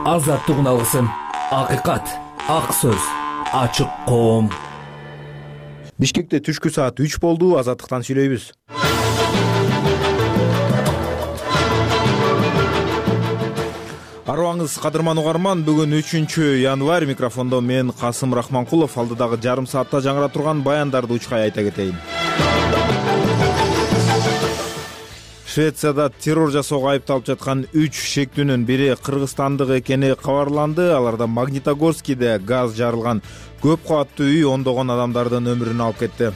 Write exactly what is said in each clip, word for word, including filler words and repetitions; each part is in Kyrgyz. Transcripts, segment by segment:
Азаттык алгысын, акыйкат, ак сөз, ачык коом. Бишкекте түшкү саат үч болду. Азаттыктан сүйлөйбүз. Арыбаңыз кадырман угарман, бүгүн үчүнчү январь. Микрофондо мен Касым Рахманкулов. Алдыдагы жарым саатта жаңыра турган баяндарды учкай айта кетейин. Швецияда террор жасоого айыпталып жаткан үч шектүүнүн бири кыргызстандык экени кабарланды. Аларда Магнитогорскийде газ жарылган көп кабаттуу үй ондогон адамдардын өмүрүн алып кетти.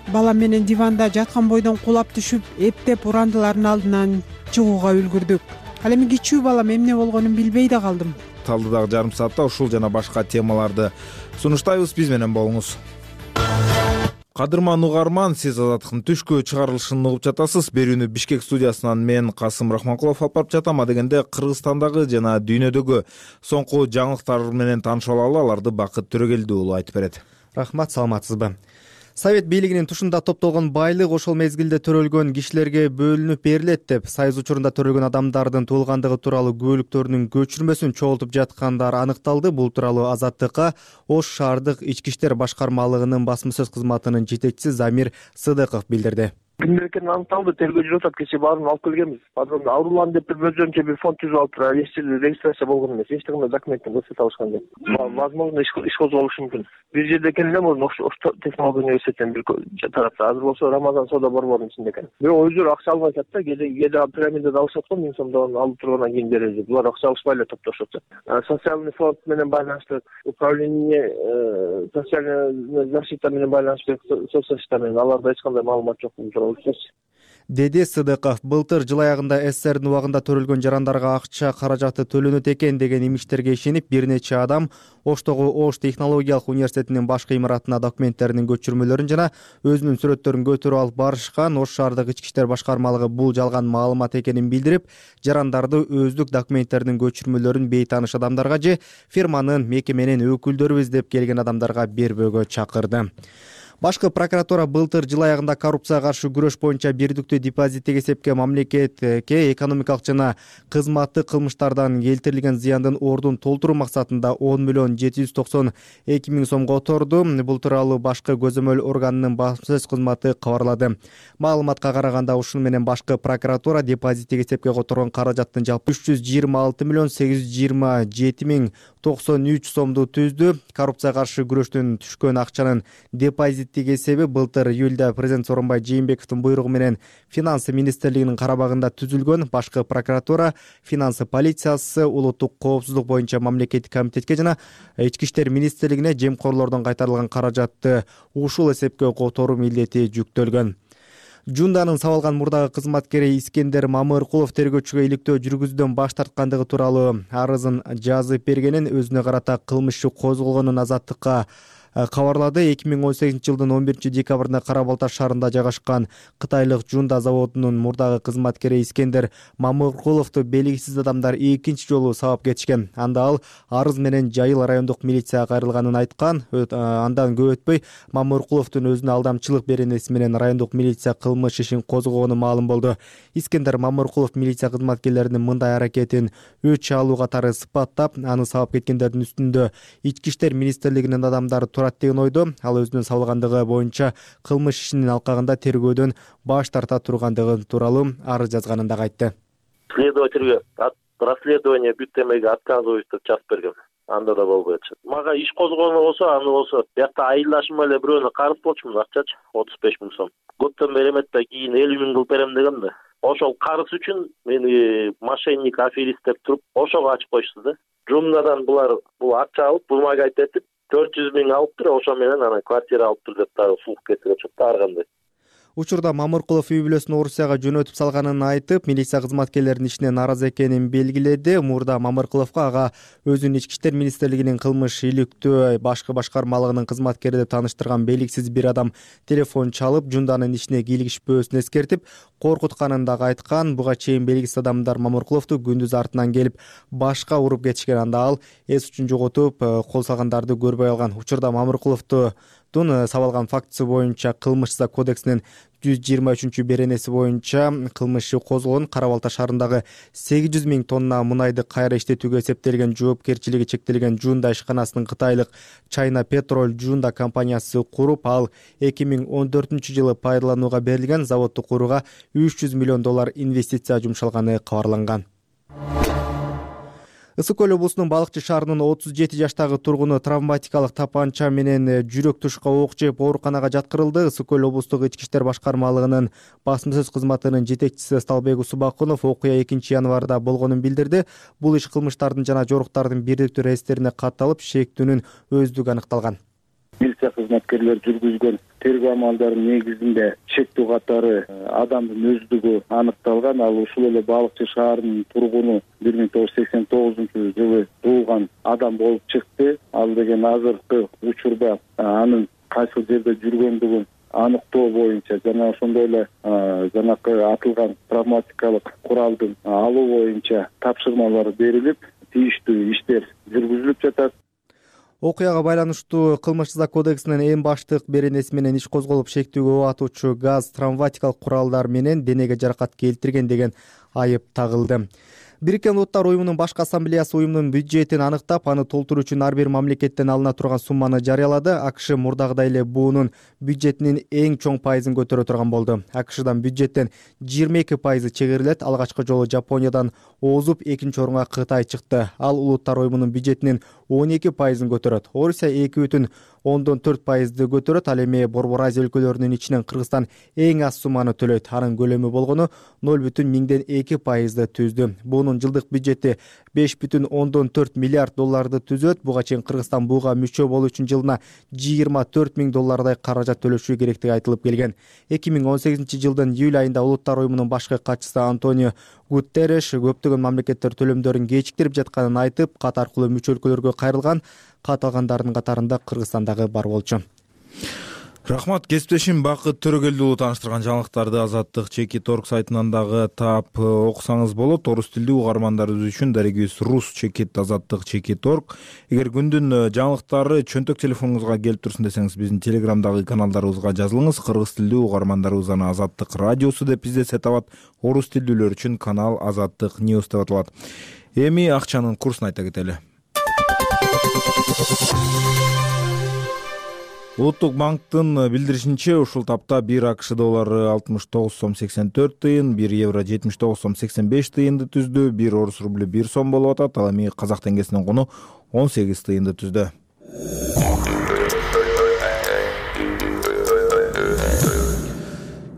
Бала менен диванда жаткан бойдон кулап түшүп, эптеп урандылардын алдынан чыгууга үлгүрдүк. Ал эми кичүү балам эмне болгонун билбей да калдым. Талдыдагы жарым саатта ушул жана башка темаларды сунуштайбыз. Биз менен болуңуз. Кадырман угарман, сиз Азаттыктын түшкү чыгарылышын угуп жатасыз. Берүүнү Бишкек студиясынан мен Касым Рахманкулов алып барып жатам. Адегенде Кыргызстандагы жана дүйнөдөгү соңку жаңылыктар менен таанышып алалы. Аларды Бакыт Төрөгелди уулу айтып берет. Рахмат, саламатсызбы? Совет бийлигинин тушунда топтолгон байлык ошол мезгилде төрөлгөн кишилерге бөлүнүп берилет деп, Союз учурунда төрөлгөн адамдардын туулгандыгы тууралуу күбөлүктөрүнүн көчүрмөсүн чогултуп жаткандар аныкталды. Бул тууралуу Азаттыкка Ош шаардык ички иштер башкармалыгынын басма сөз кызматынын жетекчиси Замир Сыдыков билдирди. Кимдер экени аныкталды, тергөө жүрүп атат. Кечээ баарын алып келгенбиз. Подробно аурулан деп бир өзүнчө бир фонд түзүп алыптыр. Эч жерде регистрация болгон эмес. Эч кандай документин көрсөтө алышкан жок. Возможно, иш козголушу мүмкүн. Бир жерде экен эле мурун Ош технология университетинен бир тарапта. Азыр болсо Рамазан соода борборунун ичинде экен. Бирок өздөрү акча албай атат да, кээде кээде пирамидада алышат го, миң сомдон алып тургандан кийин беребиз деп. Булар акча алышпай эле топтошот. Социальный фонд менен байланыштуу, управление социальная защита менен байланыштуу соцзащита менен аларда эч кандай маалымат жок бул тууралуу. Деди Сыдыков. Былтыр жыл аягында СССРдин убагында төрөлгөн жарандарга акча каражаты төлөнөт экен деген имичтерге ишенип, бир нече адам Оштогу Ош технологиялык университетинин башкы имаратына документтеринин көчүрмөлөрүн жана өзүнүн сүрөттөрүн көтөрүп алып барышкан. Ош шаардык ички иштер башкармалыгы бул жалган маалымат экенин билдирип, жарандарды өздүк документтеринин көчүрмөлөрүн бейтааныш адамдарга же фирманын, мекеменин өкүлдөрүбүз деп келген адамдарга бербөөгө чакырды. Башкы прокуратура былтыр жыл аягында коррупцияга каршы күрөш боюнча бирдиктүү депозиттик эсепке мамлекетке экономикалык жана кызматтык кылмыштардан келтирилген зыяндын ордун толтуруу максатында он миллион жети жүз токсон эки миң сом которду. Бул тууралуу башкы көзөмөл органынын басма сөз кызматы кабарлады. Маалыматка караганда, ушуну менен башкы прокуратура депозиттик эсепке которгон каражаттын жалпы үч жүз жыйырма алты миллион сегиз жүз жыйырма жети миң токсон үч сомду түздү. Коррупцияга каршы күрөштөн түшкөн акчанын депозиттик эсеби былтыр июлда президент Сооронбай Жээнбековдун буйругу менен Финансы министрлигинин карабагында түзүлгөн. Башкы прокуратура, финансы полициясы, улуттук коопсуздук боюнча мамлекеттик комитетке жана ички иштер министрлигине жемкорлордон кайтарылган каражатты ушул эсепке которуу милдети жүктөлгөн. Жунданын сабалган мурдагы кызматкери Искендер Мамыркулов тергөөчүгө иликтөө жүргүзүүдөн баш тарткандыгы тууралуу арызын жазып бергенин, өзүнө карата кылмыш иши козголгонун Азаттыкка кабарлады. эки миң он сегизинчи жылдын он биринчи декабрында Кара Балта шаарында жайгашкан Кытайлык Жунда заводунун мурдагы кызматкери Искендер Мамыркуловду белгисиз адамдар экинчи жолу сабап кетишкен. Анда ал арыз менен Жайыл райондук милицияга кайрылганын айткан. Андан көп өтпөй Мамыркуловдун өзүнө алдамчылык беренеси менен райондук милиция кылмыш ишин козгогону маалым болду. Искендер Мамыркулов милиция кызматкерлеринин мындай аракетин өч алуу катары сыпаттап, аны сабап кеткендердин үстүндө ички иштер министрлигинин адамдары деген ойдо. Ал өзүнүн сабалгандыгы боюнча кылмыш ишинин алкагында тергөөдөн баш тарта тургандыгы тууралуу арыз жазганын дагы айтты. Следовательге расследование бүттемеге отказываюсь деп жазып берген. Анда да болбой атышат. Мага иш козгону болсо, аны болсо биякта айылдашым эле бирөөнө карыз болчумун, акчачы отуз беш миң сом. Көптөн бери эмет да, кийин элүү миң кылып берем деген да. Ошол карыз үчүн мени мошенник, аферист деп туруп, ошого ачып коюшту да. Жумнадан булар бул акча алып, бумага айтып төрт жүз миң алыптыр, ошо менен ана квартира алыптыр деп дагы сулук кетирип чыкты ар кандай. Учурда Мамыркулов үй бүлөсүн Орусияга жөнөтүп салганын айтып, милиция кызматкерлеринин ишине нааразы экенин белгиледи. Мурда Мамыркуловго ага өзүнүн ички иштер министрлигинин кылмыш иликтөө башкы башкармалыгынын кызматкери деп тааныштырган белгисиз бир адам телефон чалып, Жунданын ишине кийлигишпөөсүн эскертип, коркутканын дагы айткан. Буга чейин белгисиз адамдар Мамыркуловду күндүз артынан келип башка уруп кетишкен. Анда ал эс учун жоготуп, кол салгандарды көрбөй алган. Учурда Мамыркуловду соттун сабалган фактысы боюнча кылмыш жаза кодексинин жүз жыйырма үчүнчү беренеси боюнча кылмыш иши козголгон. Кара Балта шаарындагы сегиз жүз миң тонна мунайды кайра иштетүүгө эсептелген жоопкерчилиги чектелген Жунда ишканасынын кытайлык China Petrol Жунда компаниясы куруп, ал эки миң он төртүнчү жылы пайдаланууга берилген. Заводду курууга үч жүз миллион доллар инвестиция жумшалганы кабарланган. Ысык көл облусунун Балыкчы шаарынын отуз жети жаштагы тургуну травматикалык тапанча менен жүрөк тушка ок жеп ооруканага жаткырылды. Ысык көл облустук ички иштер башкармалыгынын басма сөз кызматынын жетекчиси Сталбек Усубакунов окуя экинчи январда болгонун билдирди. Бул иш кылмыштардын жана жоруктардын бирдиктүү реестрине катталып, шектүүнүн өздүгү аныкталган. Милиция кызматкерлери жүргүзгөн тергөө амалдарынын негизинде шектүү катары адамдын өздүгү аныкталган. Ал ушул эле Балыкчы шаарынын тургуну бир миң тогуз жүз сексен тогузунчу жылы туулган адам болуп чыкты. Ал деген азыркы учурда анын кайсы жерде жүргөндүгүн аныктоо боюнча жана ошондой эле жанакы атылган травматикалык куралдын алуу боюнча тапшырмалар берилип, тийиштүү иштер жүргүзүлүп жатат. Окуяга байланыштуу кылмыш жаза кодексинин эң баштык беренеси менен иш козголуп, шектүүгө убатуучу газ, травматикалык куралдар менен денеге жаракат келтирген деген айып тагылды. Бириккен Улуттар уюмунун башкы ассамблеясы уюмдун бюджетин аныктап, аны толтуруу үчүн ар бир мамлекеттен алына турган сумманы жарыялады. АКШ мурдагыдай эле буунун бюджетинин эң чоң пайызын көтөрө турган болду. АКШдан бюджеттен жыйырма эки пайызы чегерилет. Алгачкы жолу Жапониядан озуп, экинчи орунга Кытай чыкты. Ал Улуттар уюмунун бюджетинин он эки пайызын көтөрөт. Орусия эки бүтүн ондон төрт пайызды көтөрөт. Ал эми Борбор Азия өлкөлөрүнүн ичинен Кыргызстан эң аз сумманы төлөйт. Анын көлөмү болгону ноль бүтүн миңден эки пайызды түздү. Буунун жылдык бюджети беш бүтүн ондон төрт миллиард долларды түзөт. Буга чейин Кыргызстан буга мүчө болуу үчүн жылына жыйырма төрт миң доллардай каражат төлөшү керектиги айтылып келген. эки миң он сегизинчи жылдын июль айында Улуттар уюмунун башкы катчысы Антонио Гутерреш көптөгөн мамлекеттер төлөмдөрүн кечиктирип жатканын айтып, кат аркылуу мүчө өлкөлөргө кайрылган. Кат алгандардын катарында Кыргызстан дагы бар болчу. Рахмат, кесиптешим Бакыт Төрөгелдиұлы тааныштырган жаңылыктарды Азаттык Чекит орг сайтынан дагы таап окусаңыз болот. Орус тилдүү угармандарыбыз үчүн дарегибиз Рус Чекит Азаттык Чекит орг. Эгер күндүн жаңылыктары чөнтөк телефонуңузга келип турсун десеңиз, биздин телеграмдагы каналдарыбызга жазылыңыз. Кыргыз тилдүү угармандарыбыз аны Азаттык радиосу деп издесе табат. Орус тилдүүлөр үчүн канал Азаттык News деп аталат. Эми акчанын курсун айта кетели. Улуттук банктын билдиришинче, ушул тапта бир АКШ доллары алтымыш тогуз сом сексен төрт тыйын, бир евро жетимиш тогуз сом сексен беш тыйынды түздү, бир орус рублю бир сом болуп атат. Ал эми казак теңгесинин куну он сегиз тыйынды түздү.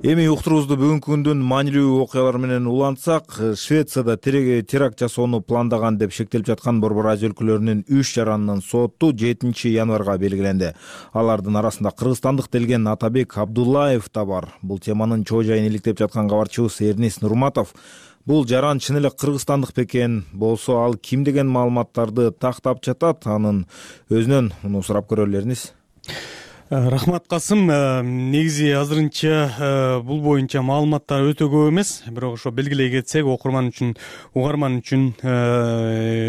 Эми уктуруубузду бүгүнкү күндүн маанилүү окуялары менен улантсак, Швецияда теракт жасоону пландаган деп шектелип жаткан Борбор Азия өлкөлөрүнүн үч жаранынын соту жетинчи январга белгиленди. Алардын арасында кыргызстандык делген Атабек Абдуллаев да бар. Бул теманын чоо жайын иликтеп жаткан кабарчыбыз Эрнис Нурматов бул жаран чын эле кыргызстандык бекен болсо, ал ким деген маалыматтарды тактап жатат, анын өзүнөн муну сурап көрөлү. Эрнис. Рахмат, Касым. Негизи азырынча бул боюнча маалыматтар өтө көп эмес, бирок ошо белгилей кетсек, окурман үчүн, угарман үчүн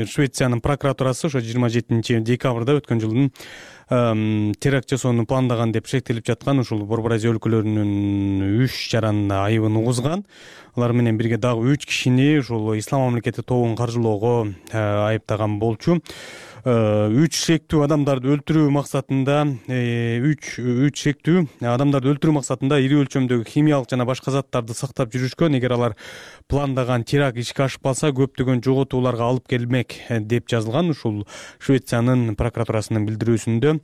Швециянын прокуратурасы ошо жыйырма жетинчи декабрда өткөн жылдын теракт жасоону пландаган деп шектелип жаткан ушул Борбор Азия өлкөлөрүнүн үч жаранына айыбын угузган. Алар менен бирге дагы үч кишини ушул Ислам мамлекети тобун каржылоого айыптаган болчу. үч шектүү адамдарды өлтүрүү максатында үч үч шектүү адамдарды өлтүрүү максатында ири өлчөмдөгү химиялык жана башка заттарды сактап жүрүшкөн. Эгер алар пландаган теракт ишке ашып калса, көптөгөн жоготууларга алып келмек деп жазылган ушул Швециянын прокуратурасынын билдирүүсүндө.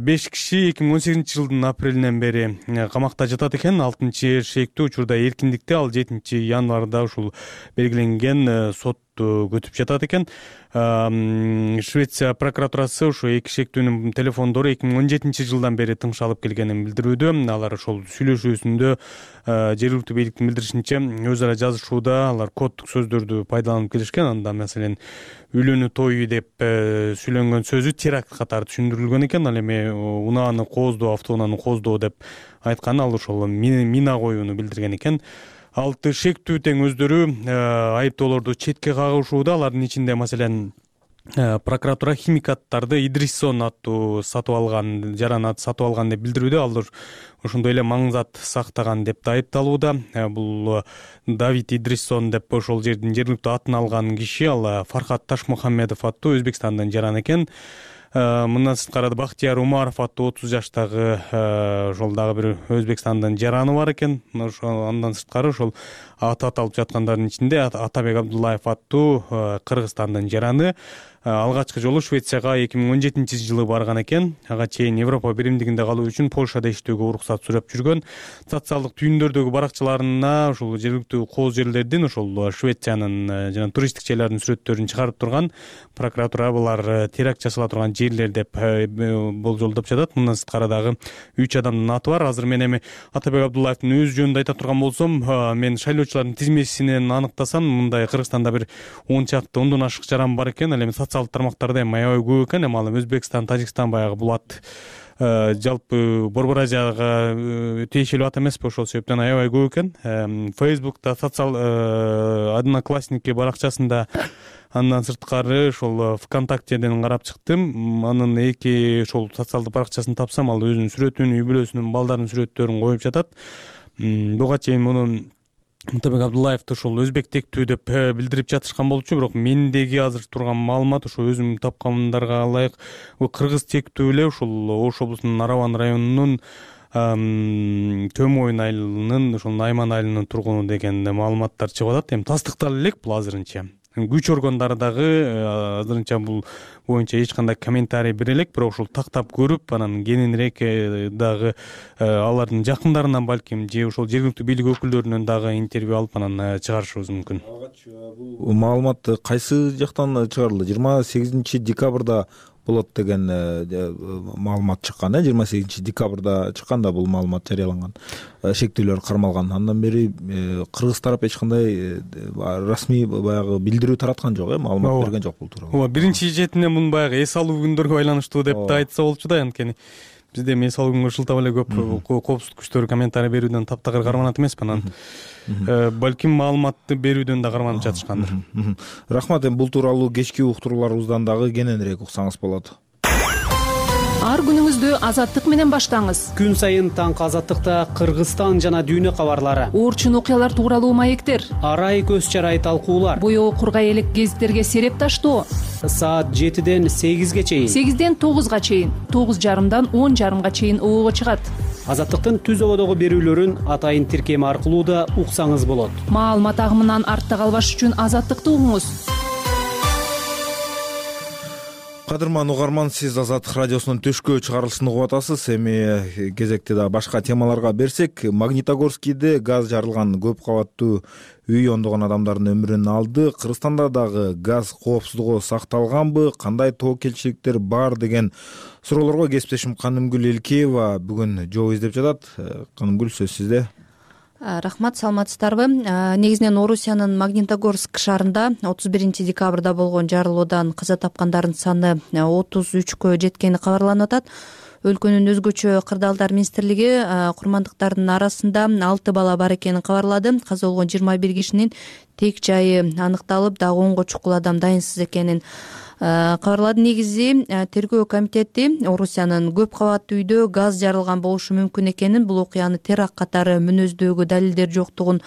беш киши эки миң он сегизинчи жылдын апрелинен бери камакта жатат экен. алтынчы шектүү учурда эркиндикте, ал жетинчи январда ушул белгиленген сот көтүп жатат экен. Швеция прокуратурасы ушу эки шектүүнүн телефондору эки миң он жетинчи жылдан бери тыңшалып келгенин билдирүүдө. Алар ошол сүйлөшүүсүндө жергиликтүү бийликтин билдиришинче өз ара жазышууда алар коддук сөздөрдү пайдаланып келишкен. Анда маселен үйлөнүү тою деп сүйлөнгөн сөзү теракт катары түшүндүрүлгөн экен. Ал эми унааны кооздоо, автоунааны кооздоо деп айткан, ал ошол мина коюуну билдирген экен. Алты шектүү тең өздөрү айыптоолорду четке кагышууда. Алардын ичинде маселен прокуратура химикаттарды Идрисон аттуу сатып алган, жараны сатып алган деп билдирүүдө. Ал ошондой эле маң зат сактаган деп да айыпталууда. Бул Давид Идрисон деп ошол жердин жергиликтүү атын алган киши, ал Фархат Ташмухамедов аттуу Өзбекстандын жараны экен. Мындан сырткары Бактияр Умаров аттуу отуз жаштагы ошол дагы бир Өзбекстандын жараны бар экен. Андан сырткары ошол аты аталып жаткандардын ичинде Атабек Абдуллаев аттуу Кыргызстандын жараны алгачкы жолу Швецияга эки миң он жетинчи жылы барган экен. Ага чейин Европа биримдигинде калуу үчүн Польшада иштөөгө уруксат сурап жүргөн. Социалдык түйүндөрдөгү баракчаларына ошол жергиликтүү кооз жерлердин, ошол Швециянын жана туристтик жерлердин сүрөттөрүн чыгарып турган. Прокуратура булар теракт жасала турган жерлер деп болжолдоп жатат. Мындан сырткары дагы үч адамдын аты бар. Азыр мен эми Атабек Абдуллаевдин өзү жөнүндө айта турган болсом, мен шайлоочулардын тизмесинен аныктасам, мындай Кыргызстанда бир он чакты ондон ашык жаран бар экен. Ал эми социалдык тармактарда эми аябай көп экен. Эми ал Өзбекстан, Тажикстан баягы булат жалпы Борбор Азияга тиешелүү ат эмеспи, ошол себептен аябай көп экен. Фейсбукта, социал Одноклассники баракчасында, андан сырткары ошол ВКонтактеден карап чыктым. Анын эки ошол социалдык баракчасын тапсам, ал өзүнүн сүрөтүн, үй бүлөсүнүн, балдарынын сүрөттөрүн коюп жатат. Буга чейин муну Атабек Абдуллаевди ошол өзбек тектүү деп билдирип жатышкан болчу, бирок мендеги азыр турган маалымат ошо өзүм тапкандарга ылайык кыргыз тектүү эле ошол Ош облусунун Нараван районунун Төмөйүн айылынын, ошол Найман айылынын тургуну деген маалыматтар чыгып атат. Эми тастыктала элек бул азырынча. Күч органдары дагы азырынча бул боюнча эч кандай комментарий бере элек, бирок ошол тактап көрүп, анан кененирээк дагы алардын жакындарынан балким же ошол жергиликтүү бийлик өкүлдөрүнөн дагы интервью алып анан чыгарышыбыз мүмкүн. Бул маалымат кайсы жактан чыгарылды? жыйырма сегизинчи декабрда болот деген маалымат чыккан, э жыйырма сегизинчи декабрда чыкканда бул маалымат жарыяланган, шектүүлөр кармалган. Андан бери кыргыз тарап эч кандай расмий баягы билдирүү тараткан жок, э маалымат берген жок бул тууралуу. Ооба, биринчи четинен муну баягы эс алуу күндөргө байланыштуу деп да айтса болчу да, анткени бизде эми эс алуу күнгө шылтап эле көп коопсуздук күчтөрү комментарий берүүдөн таптакыр карманат эмеспи, анан балким маалыматты берүүдөн да карманып жатышкандыр. Рахмат. Эми бул тууралуу кечки уктурууларыбыздан дагы кененирээк уксаңыз болот. Ар күнүңүздү Азаттык менен баштаңыз. Күн сайын таңкы Азаттыкта Кыргызстан жана дүйнө кабарлары, оорчун окуялар тууралуу маектер, арай көз чарай талкуулар, боёо кургай элек гезиттерге сереп таштоо. Саат жетиден сегизге чейин, сегизден тогузга чейин, тогуз жарымдан он жарымга чейин оого чыгат. Азаттыктын түз ободогу берүүлөрүн атайын тиркем аркылуу да уксаңыз болот. Маалымат агымынан артта калбаш үчүн Азаттыкты угуңуз. Кадырман угарман, сиз Азаттык радиосунун төшкө чыгарылышын угуп атасыз. Эми кезекти да башка темаларга берсек, Магнитогорскийде газ жарылган көп кабаттуу үй ондогон адамдардын өмүрүн алды. Кыргызстанда дагы газ коопсуздугу сакталганбы, кандай тобокелчиликтер бар деген суроолорго кесиптешим Канымгүл Элкеева бүгүн жооп издеп жатат. Канымгүл, сөз сизде. Рахмат, саламатсыздарбы? Негизинен Орусиянын Магнитогорск шаарында отуз биринчи декабрда болгон жарылуудан каза тапкандардын саны отуз үчкө жеткени кабарланып атат. Өлкөнүн өзгөчө кырдаалдар министрлиги курмандыктардын арасында алты бала бар экенин кабарлады. Каза болгон жыйырма бир кишинин тек жайы аныкталып, дагы онго чукул адам дайынсыз экенин кабарлады. Негизи тергөө комитети Орусиянын көп кабаттуу үйдө газ жарылган болушу мүмкүн экенин, бул окуяны теракт катары мүнөздөөгө далилдер жоктугун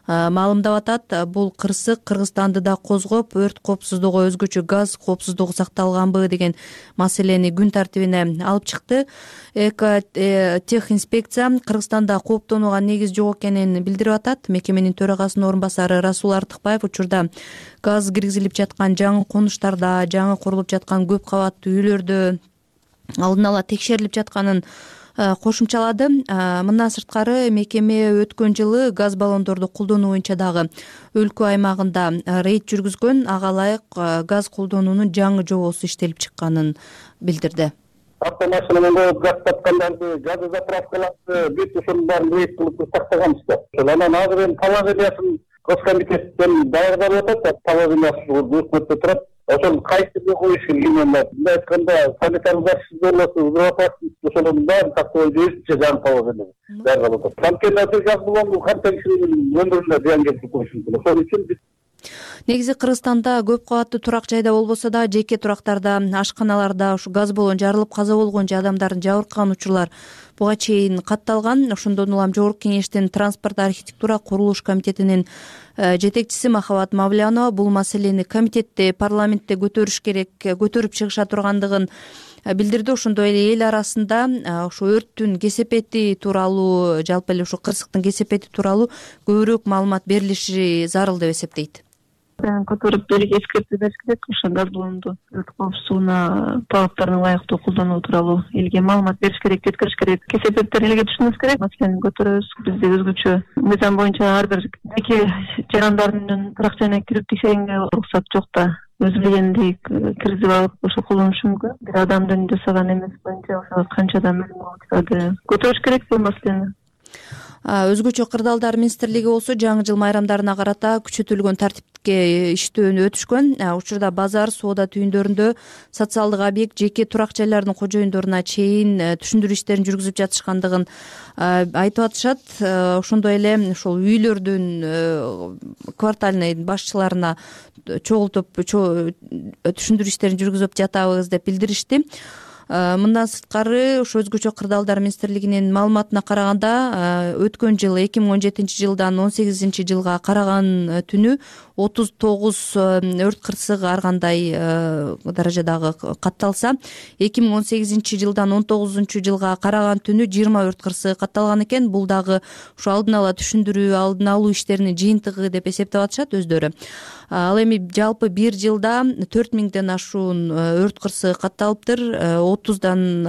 маалымдап атат. Бул кырсык Кыргызстанды да козгоп, өрт коопсуздугу, өзгөчө газ коопсуздугу сакталганбы деген маселени күн тартибине алып чыкты. Эко тех инспекция Кыргызстанда кооптонууга негиз жок экенин билдирип атат. Мекеменин төрагасынын орун басары Расул Артыкбаев учурда газ киргизилип жаткан жаңы конуштарда, жаңы курулуп жаткан көп кабаттуу үйлөрдө алдын ала текшерилип жатканын кошумчалады. Мындан сырткары мекеме өткөн жылы газ баллондорду колдонуу боюнча дагы өлкө аймагында рейд жүргүзгөн, ага ылайык газ колдонуунун жаңы жобосу иштелип чыкканын билдирди. Автомашина менен газ тапкандарды, газ заправкаларды бүт ушунун баарын рейд кылып сактаганбыз да. Анан азыр эми положениясын Госкомитеттен даярдап атат, положениясы өкмөттө турат. Ошол кайсыны коюш керек? Мындай айтканда, санитардын защиты безопасность ошонун баарын сактоо өзүнчө жаңы положение даярдап атат. Анткени азыр газ баллону канча кишинин өмүрүнө зыян келтирип коюшу мүмкүн. Ошон үчүн биз Негизи Кыргызстанда көп кабаттуу турак жайда болбосо да жеке турактарда, ашканаларда ушу газ баллон жарылып каза болгон же адамдардын жабыркаган учурлар буга чейин катталган. Ошондон улам Жогорку Кеңештин транспорт, архитектура, курулуш комитетинин жетекчиси Махабат Мавлянова бул маселени комитетте, парламентте көтөрүш керек, көтөрүп чыгыша тургандыгын билдирди. Ошондой эле эл арасында ошо өрттүн кесепети тууралуу, жалпы эле ушу кырсыктын кесепети тууралуу көбүрөөк маалымат берилиши зарыл деп эсептейт. Көтөрүп элге эскертүү бериш керек. Ошо газ баллонду өрт коопсуздугуна талаптарына ылайыктуу колдонуу тууралуу элге маалымат бериш керек, жеткириш керек. Кесепеттер элге түшүнүш керек. Маселени көтөрөбүз. Бизде өзгөчө мыйзам боюнча ар бир жеке жарандардын турак жайына кирип текшергенге уруксат жок да. Өз билгендей киргизип алып ошо колдонушу мүмкүн. Бир адамдын жасаган эмеси боюнча ошо канча адам өлүм болуп көтөрүш керек бул маселени. Өзгөчө кырдаалдар министрлиги болсо жаңы жыл майрамдарына карата күчөтүлгөн тартипке иштөөнү өтүшкөн. Учурда базар, соода түйүндөрүндө, социалдык объект, жеке турак жайлардын кожоюндоруна чейин түшүндүрүү иштерин жүргүзүп жатышкандыгын айтып атышат. Ошондой эле ошол үйлөрдүн квартальный башчыларына чогултуп түшүндүрүү иштерин жүргүзүп жатабыз деп билдиришти. Мындан сырткары ошо өзгөчө кырдаалдар министрлигинин маалыматына караганда өткөн жыл эки миң он жетинчи жылдан он сегизинчи жылга караган түнү отуз тогуз өрт кырсык ар кандай даражадагы катталса, эки миң он сегизинчи жылдан он тогузунчу жылга караган түнү жыйырма өрт кырсыгы катталган экен. Бул дагы ушу алдын ала түшүндүрүү, алдын алуу иштеринин жыйынтыгы деп эсептеп атышат өздөрү. Ал эми жалпы бир жылда төрт миңден ашуун өрт кырсыгы катталыптыр. отуздан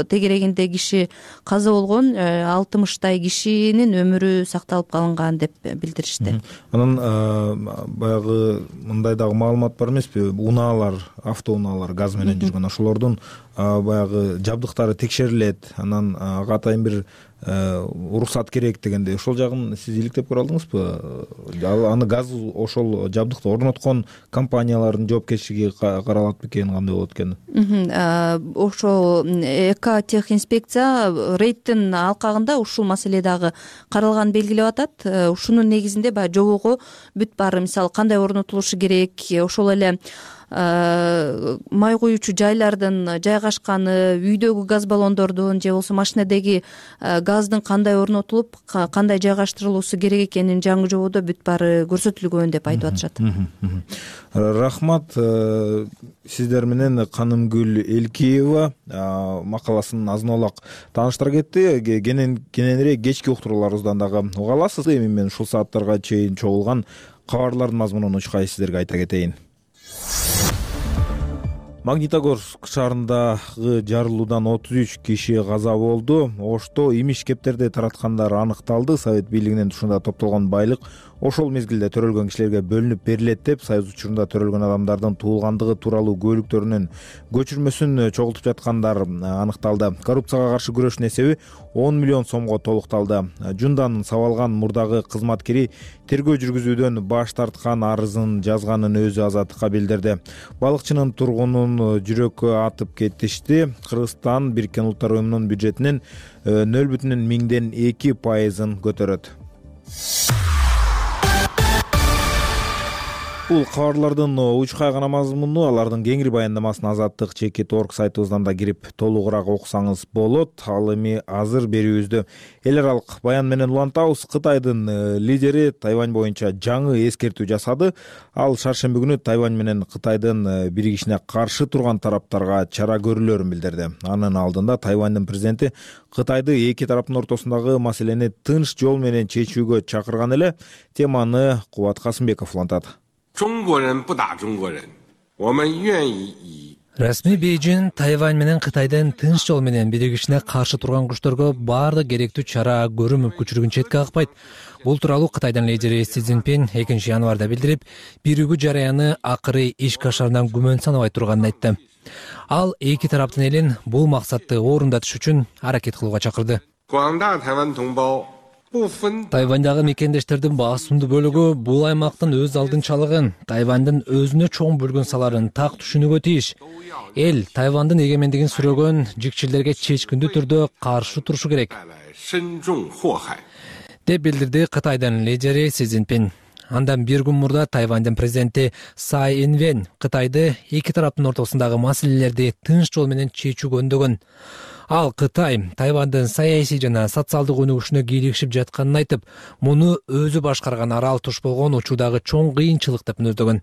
тегерегинде киши каза болгон, алтымыштай кишинин өмүрү сакталып калынган деп билдиришти. Анан баягы мындай дагы маалымат бар эмеспи? Унаалар, автоунаалар газ менен жүргөн, ошолордун баягы жабдыктары текшерилет. Анан ага атайын бир уруксат керек дегенде, ошол жагын сиз иликтеп көрө алдыңызбы? Аны газ ошол жабдыкты орноткон компаниялардын жоопкерчилиги каралат бекен, кандай болот экен? Ошол Экотехинспекция рейдтин алкагында ушул маселе дагы каралганын белгилеп атат. Ушунун негизинде баягы жобого бүт баары, мисалы кандай орнотулушу керек, ошол эле май куюучу жайлардын жайгашканы, үйдөгү газ баллондордун же болбосо машинедеги газдын кандай орнотулуп, кандай жайгаштырылуусу керек экенин жаңы жободо бүт баары көрсөтүлгөн деп айтып атышат. Рахмат. Сиздер менен Канымгүл Элкиева макаласын азын аулак тааныштыра кетти. Кененирээк кечки уктурууларыбыздан дагы уга аласыз. Эми мен ушул сааттарга чейин чогулган кабарлардын мазмунун учкай сиздерге айта кетейин. Магнитогорск шаарындагы жарылуудан отуз үч киши каза болду. Ошто имиш кептерди тараткандар аныкталды. Совет бийлигинин тушунда топтолгон байлык ошол мезгилде төрөлгөн кишилерге бөлүнүп берилет деп, союз учурунда төрөлгөн адамдардын туулгандыгы тууралуу көлүктөрүнүн көчүрмөсүн чогултуп жаткандар аныкталды. Коррупцияга каршы күрөштүн эсеби он миллион сомго толукталды. Жундан сабалган мурдагы кызматкери тергөө жүргүзүүдөн баш тарткан, арызын жазганын өзү Азаттыкка билдирди. Балыкчынын тургунун жүрөккө атып кетишти. Кыргызстан Бириккен Улуттар Уюмунун бюджетинин нөл бүтүн миңден эки пайызын көтөрөт. Бул кабарлардын учкай гана мазмуну, алардын кеңири баяндамасын Азаттык чекит точка орг сайтыбыздан да кирип толугураак окусаңыз болот. Ал эми азыр берүүбүздү эл аралык баян менен улантабыз. Кытайдын лидери Тайвань боюнча жаңы эскертүү жасады. Ал шаршемби күнү Тайвань менен Кытайдын биригишине каршы турган тараптарга чара көрүлөрүн билдирди. Анын алдында Тайваньдын президенти Кытайды эки тараптын ортосундагы маселени тынч жол менен чечүүгө чакырган эле. Теманы Кубат Касымбеков улантат. Расмий Бейжин Тайвань менен Кытайдын тынч жол менен биригишине каршы турган күчтөргө баардык керектүү чара көрүү мүмкүнчүлүгүн четке какпайт. Бул тууралуу Кытайдын лидери Си Цзиньпин экинчи январда билдирип, биригүү жараяны акыры иш кашарынан күмөн санабай турганын айтты. Ал эки тараптын элин бул максатты орундатыш үчүн аракет кылууга чакырды. Тайваньдагы мекендештердин басымдуу бөлүгү бул аймактын өз алдынчалыгын, Тайвандын өзүнө чоң бөлгөн саларын так түшүнүүгө тийиш. Эл Тайвандын эгемендигин сүрөгөн жикчилерге чечкиндүү түрдө каршы турушу керек, деп билдирди Кытайдын лидери Си Цзиньпин. Андан бир күн мурда Тайвандын президенти Цай Инвен Кытайды эки тараптын ортосундагы маселелерди тынч жол менен чечүүгө үндөгөн. Ал Кытай Тайвандын саясий жана социалдык өнүгүшүнө кийлигишип жатканын айтып, муну өзү башкарган арал туш болгон учурдагы чоң кыйынчылык деп мүнөздөгөн.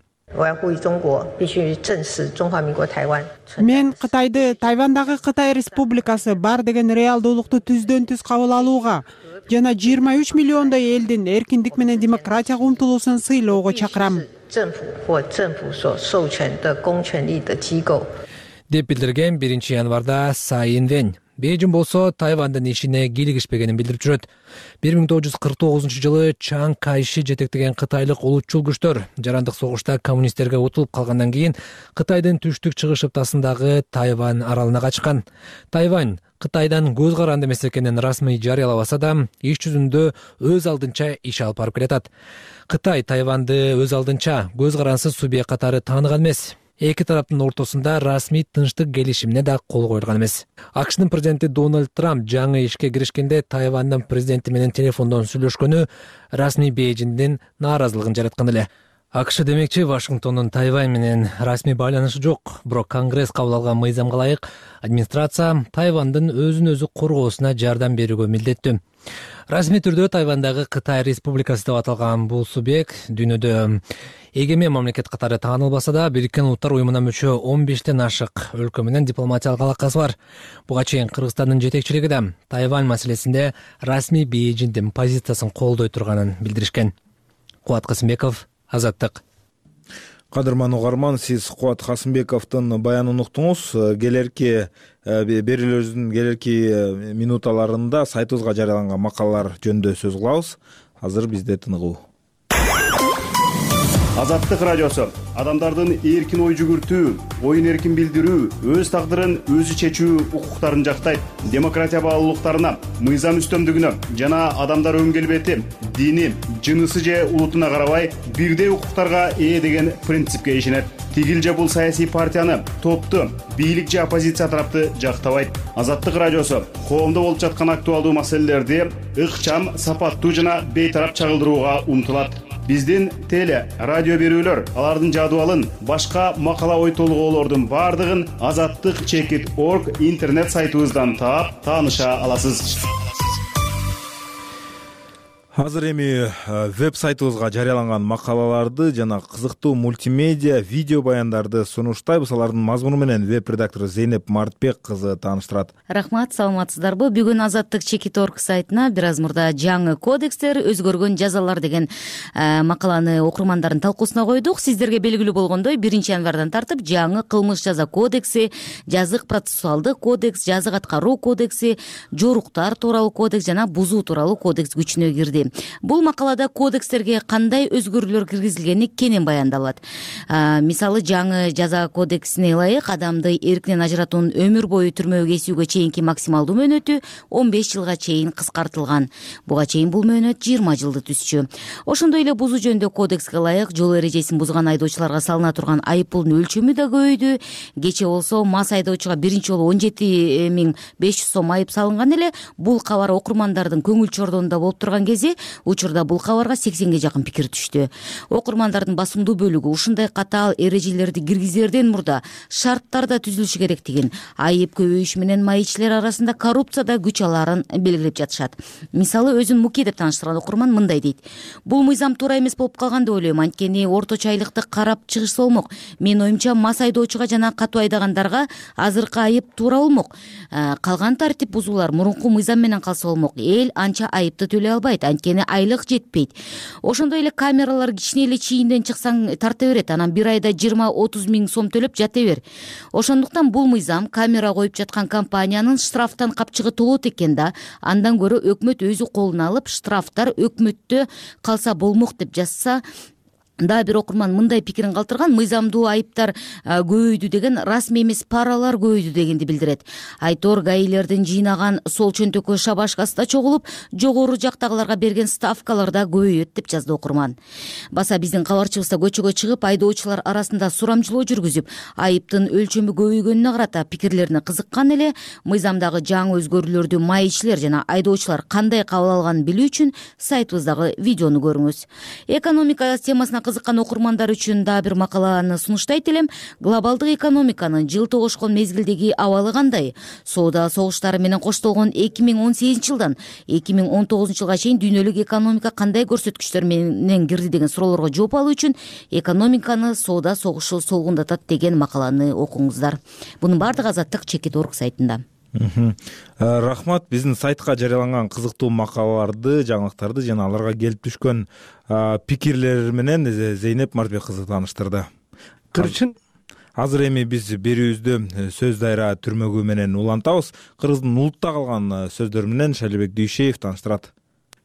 Мен Кытайды Тайвандагы Кытай Республикасы бар деген реалдуулукту түздөн түз кабыл алууга жана жыйырма үч миллиондой элдин эркиндик менен демократияга умтулуусун сыйлоого чакырам деп билдирген биринчи январда Цай Инвен. Бейжин болсо Тайвандын ишине кийлигишпегенин билдирип жүрөт. бир миң тогуз жүз кырк тогузунчу жылы Чан Кайши жетектеген кытайлык улутчул күчтөр жарандык согушта коммунисттерге утулуп калгандан кийин Кытайдын түштүк чыгыш ыптасындагы Тайвань аралына качкан. Тайвань Кытайдан көз каранды эмес экенин расмий жарыялабаса да, иш жүзүндө өз алдынча иш алып барып келатат. Кытай Тайванды өз алдынча көз карансыз субъект катары тааныган эмес. Эки тараптын ортосунда расмий тынчтык келишимине да кол койулган эмес. АКШнын президенти Дональд Трамп жаңы ишке киришкенде Тайвандын президенти менен телефондон сүйлөшкөнү расмий Бейжиңдин нааразылыгын жараткан эле. АКШ демекчи Вашингтондун Тайвань менен расмий байланышы жок, бирок Конгресс кабыл алган мыйзамга ылайык администрация Тайвандын өзүн өзү коргоосуна жардам берүүгө милдеттүү. Расмий түрдө Тайвандагы Кытай Республикасы деп аталган бул субъект дүйнөдө эгемен мамлекет катары таанылбаса да, Бириккен Улуттар уюмуна мүчө он бештен ашык өлкө менен дипломатиялык алакасы бар. Буга чейин Кыргызстандын жетекчилиги да Тайвань маселесинде расмий Бейжиңдин позициясын колдой турганын билдиришкен. Кубат Касымбеков, Азаттык. Кадырман угарман, сиз Кубат Касымбековдун баянын уктуңуз. Келерки берүүлөрүбүздүн келерки минуталарында сайтыбызга жарыяланган макалалар жөнүндө сөз кылабыз. Азыр бизде тыныгуу. Азаттык радиосу адамдардын эркин ой жүгүртүү, оюн эркин билдирүү, өз тагдырын өзү чечүү укуктарын жактайт. Демократия баалуулуктарына, мыйзам үстөмдүгүнө жана адамдар өң келбети, дини, жынысы же улутуна карабай бирдей укуктарга ээ деген принципке ишенет. Тигил же бул саясий партияны, топту, бийлик же оппозиция тарапты жактабайт. Азаттык радиосу коомдо болуп жаткан актуалдуу маселелерди ыкчам, сапаттуу жана бейтарап чагылдырууга умтулат. Биздин теле, радио берүүлөр, алардын жадыбалын, башка макала ой толгоолордун бардыгын азаттык чекит точка орг интернет сайтыбыздан таап, тааныша аласыз. Азыр эми веб сайтыбызга жарыяланган макалаларды жана кызыктуу мультимедиа видео баяндарды сунуштайбыз. Алардын мазмуну менен веб редактору Зейнеп Мартбек кызы тааныштырат. Рахмат, саламатсыздарбы? Бүгүн азаттык чекит точка орг сайтына бир аз мурда жаңы кодекстер, өзгөргөн жазалар деген макаланы окурмандардын талкуусуна койдук. Сиздерге белгилүү болгондой, биринчи январдан тартып жаңы кылмыш жаза кодекси, жазык процессуалдык кодекс, жазык аткаруу кодекси, жоруктар тууралуу кодекс жана бузуу тууралуу кодекс күчүнө кирди. Бул макалада кодекстерге кандай өзгөрүүлөр киргизилгени кенен баяндалат. Мисалы, жаңы жаза кодексине ылайык адамды эркинен ажыратуунун өмүр бою түрмөгө кесүүгө чейинки максималдуу мөөнөтү он беш жылга чейин кыскартылган. Буга чейин бул мөөнөт жыйырма жылды түзчү. Ошондой эле бузуу жөнүндө кодекске ылайык жол эрежесин бузган айдоочуларга салына турган айыппулдун өлчөмү да көбөйдү. Кече болсо мас айдоочуга биринчи жолу он жети миң беш жүз сом айып салынган эле. Бул кабар окурмандардын көңүл чордонунда болуп турган кези учурда бул кабарга сексенге жакын пикир түштү. Окурмандардын басымдуу бөлүгү ушундай катаал эрежелерди киргизерден мурда шарттар да түзүлүшү керектигин, айып көбөйүшү менен майычилер арасында коррупцияда күч алаарын белгилеп жатышат. Мисалы, өзүн Муки деп тааныштырган окурман мындай дейт: бул мыйзам туура эмес болуп калган деп ойлойм, анткени орточо айлыкты карап чыгышса болмок. Менин оюмча, мас айдоочуга жана катуу айдагандарга азыркы айып туура болмок. Калган тартип бузуулар мурунку мыйзам менен калса болмок. Эл анча айыпты төлөй албайт, анткени айлык жетпейт. Ошондой эле камералар кичине эле чийинден чыксаң тарта берет, анан бир айда жыйырма отуз миң сом төлөп жата бер. Ошондуктан бул мыйзам камера коюп жаткан компаниянын штрафтан капчыгы толот экен да, андан көрө өкмөт өзү колуна алып штрафтар өкмөттө калса болмок деп жазса дагы бир окурман мындай пикирин калтырган: мыйзамдуу айыптар көбөйдү деген расмий эмес, паралар көбөйдү дегенди билдирет. Айтор гаилердин жыйнаган сол чөнтөккө шабашкасы да чогулуп, жогору жактагыларга берген ставкалар да көбөйөт деп жазды окурман. Баса биздин кабарчыбыз да көчөгө чыгып, айдоочулар арасында сурамжылоо жүргүзүп, айыптын өлчөмү көбөйгөнүнө карата пикирлерине кызыккан эле. Мыйзамдагы жаңы өзгөрүүлөрдү майчилер жана айдоочулар кандай кабыл алганын билүү үчүн сайтыбыздагы видеону көрүңүз. Экономика темасына кызыккан окурмандар үчүн дагы бир макаланы сунуштайт элем. Глобалдык экономиканын жылты огошкон мезгилдеги абалы кандай? Соода согуштары менен коштолгон эки миң он сегизинчи жылдан эки миң он тогузунчу жылга чейин дүйнөлүк экономика кандай көрсөткүчтөр менен кирди деген суроолорго жооп алуу үчүн экономиканы соода согушу солгундатат деген макаланы окуңуздар. Бунун баардыгы Азаттык чекит точка орг сайтында. Рахмат. Биздин сайтка жарыяланган кызыктуу макалаларды, жаңылыктарды жана аларга келип түшкөн пикирлер менен Зейнеп Мартбек кызы тааныштырды. Кырчын азыр эми биз берүүбүздү сөз дайра түрмөгү менен улантабыз. Кыргыздын улутта калган сөздөрү менен Шалибек Дүйшеев тааныштырат.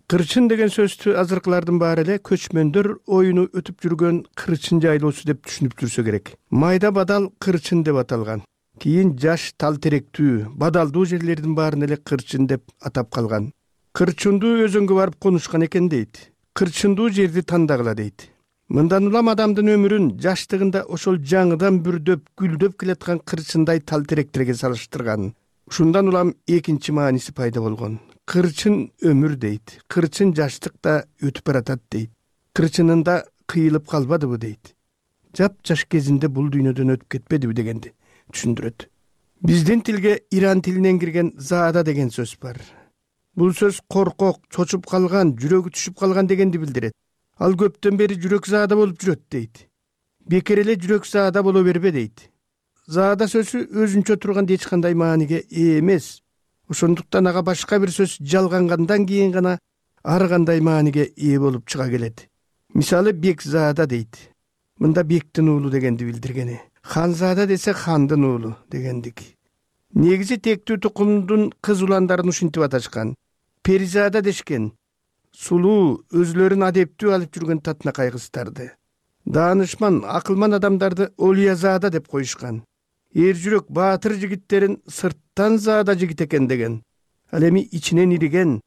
Кырчын деген сөздү азыркылардын баары эле көчмөндөр оюну өтүп жүргөн кырчын жайлоосу деп түшүнүп жүрсө керек. Майда бадал кырчын деп аталган. Кийин жаш тал теректүү, бадалдуу жерлердин баарын эле кырчын деп атап калган. Кырчындуу өзөнгө барып конушкан экен дейт. Кырчындуу жерди тандагыла дейт. Мындан улам адамдын өмүрүн жаштыгында ошол жаңыдан бүрдөп, гүлдөп келаткан кырчындай тал теректерге салыштырган. Ушундан улам экинчи мааниси пайда болгон. Кырчын өмүр дейт. Кырчын жаштыкта өтүп баратат дейт. Кырчынында кыйылып калбадыбы дейт. Жап-жаш кезинде бул дүйнөдөн өтүп кетпедиби дегенди түшүндүрөт. Биздин тилге иран тилинен кирген заада деген сөз бар. Бул сөз коркок, чочуп калган, жүрөгү түшүп калган дегенди билдирет. Ал көптөн бери жүрөк заада болуп жүрөт дейт. Бекер эле жүрөк заада боло бербе дейт. Заада сөзү өзүнчө турганда эч кандай мааниге ээ эмес. Ошондуктан ага башка бир сөз жалгангандан кийин гана ар кандай мааниге ээ болуп чыга келет. Мисалы Бекзаада дейт. Мында Бектин уулу дегенди билдиргени. Ханзада десе хандын уулу дегендик. Негизи тектүү тукумдун кыз уландарын ушинтип аташкан. Перизада дешкен. Сулуу, өзлөрүн адептүү алып жүргөн татынакай кыздарды. Даанышман, акылман адамдарды Олиязада деп коюшкан. Эр жүрөк баатыр жигиттерин сырттан заада жигит экен деген. Ал эми ичинен ириген,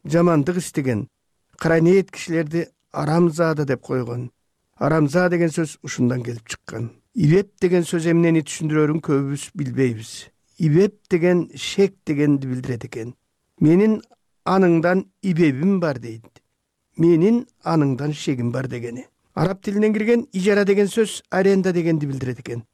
жамандык истеген, кара ниет кишилерди арамзада деп койгон. Арамза деген сөз ушундан келип чыккан. Ибеп деген сөз эмнени түшүндүрөрүн көбүбүз билбейбиз. Ибеп деген шек дегенди билдирет экен. Менин аныңдан ибебим бар дейт. Менин аныңдан шегим бар дегени. Араб тилинен кирген ижара деген сөз аренда дегенди билдирет экен.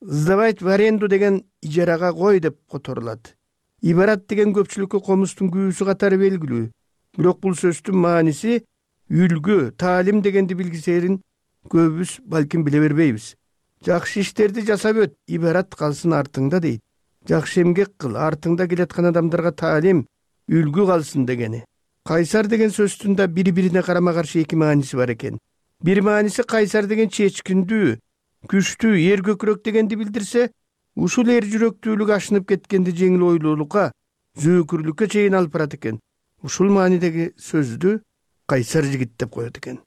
Сдавать в аренду деген ижарага кой деп которулат. Ибарат деген көпчүлүккө комустун күүсү катары белгилүү. Бирок бул сөздүн мааниси үлгү, таалим дегенди билгисерин көбүбүз балким биле бербейбиз. Жакшы иштерди жасап өт, ибарат калсын артыңда дейт. Жакшы эмгек кыл, артыңда келаткан адамдарга таалим, үлгү калсын дегени. Кайсар деген сөздүн да бири-бирине карама-каршы эки мааниси бар экен. Бир мааниси кайсар деген чечкиндүү, күчтүү, эр көкүрөк дегенди билдирсе, ушул эр жүрөктүүлүк ашынып кеткенди жеңил ойлуулукка, зөөкүрлүккө чейин алып барат экен. Ушул маанидеги сөздү кайсар жигит деп коет экен.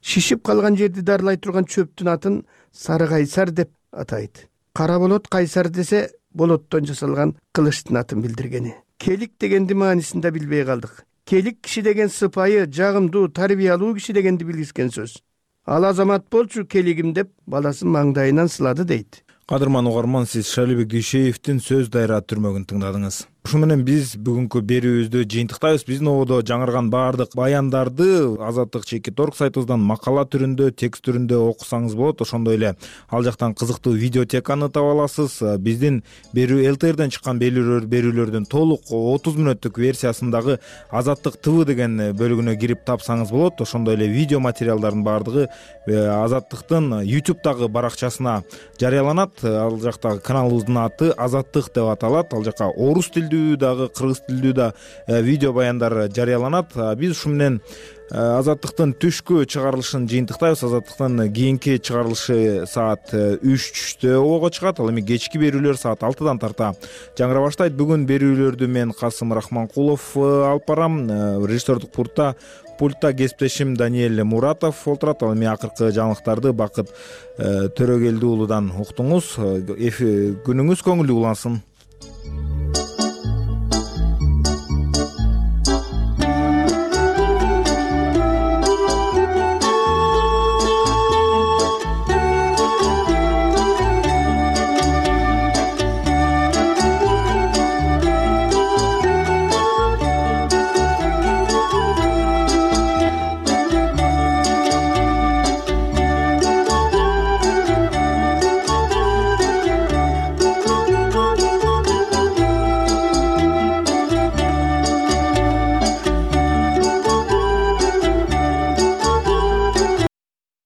Шишип калган жерди дарылай турган чөптүн атын сары кайсар деп атайт. Кара болот кайсар десе, болоттон жасалган кылычтын атын билдиргени. Келик дегенди маанисин да билбей калдык. Келик киши деген сыпайы, жагымдуу, тарбиялуу киши дегенди билгискен сөз. Ал азамат болчу келигим деп баласын маңдайынан сылады дейт. Кадырман угарман, сиз Шалибек Дүйшеевдин сөз дайра түрмөгүн тыңдадыңыз. Ушу менен биз бүгүнкү берүүбүздү жыйынтыктайбыз. Биздин ободо жаңырган баардык баяндарды Азаттык чекит точка орг сайтыбыздан макала түрүндө, текст түрүндө окусаңыз болот. Ошондой эле ал жактан кызыктуу видеотеканы таба аласыз. Биздин берүү эл тэ эрден чыккан берүүлөрдүн толук отуз мүнөттүк версиясындагы Азаттык ТВ деген бөлүгүнө кирип тапсаңыз болот. Ошондой эле видео материалдардын баардыгы Азаттыктын ютубтагы баракчасына жарыяланат. Ал жакта каналыбыздын аты Азаттык деп аталат. Ал жака орус тилдүү тилдүү дагы кыргыз тилдүү да видео баяндар жарыяланат. Биз ушу менен Азаттыктын түшкү чыгарылышын жыйынтыктайбыз. Азаттыктын кийинки чыгарылышы саат үчтө ого чыгат. Ал эми кечки берүүлөр саат алтыдан тарта жаңыра баштайт. Бүгүн берүүлөрдү мен Касым Рахманкулов алып барам. Режиссердук пультта пультта кесиптешим Даниэль Муратов олтурат. Ал эми акыркы жаңылыктарды Бакыт Төрөгелди уулудан уктуңуз. Күнүңүз көңүлдүү улансын.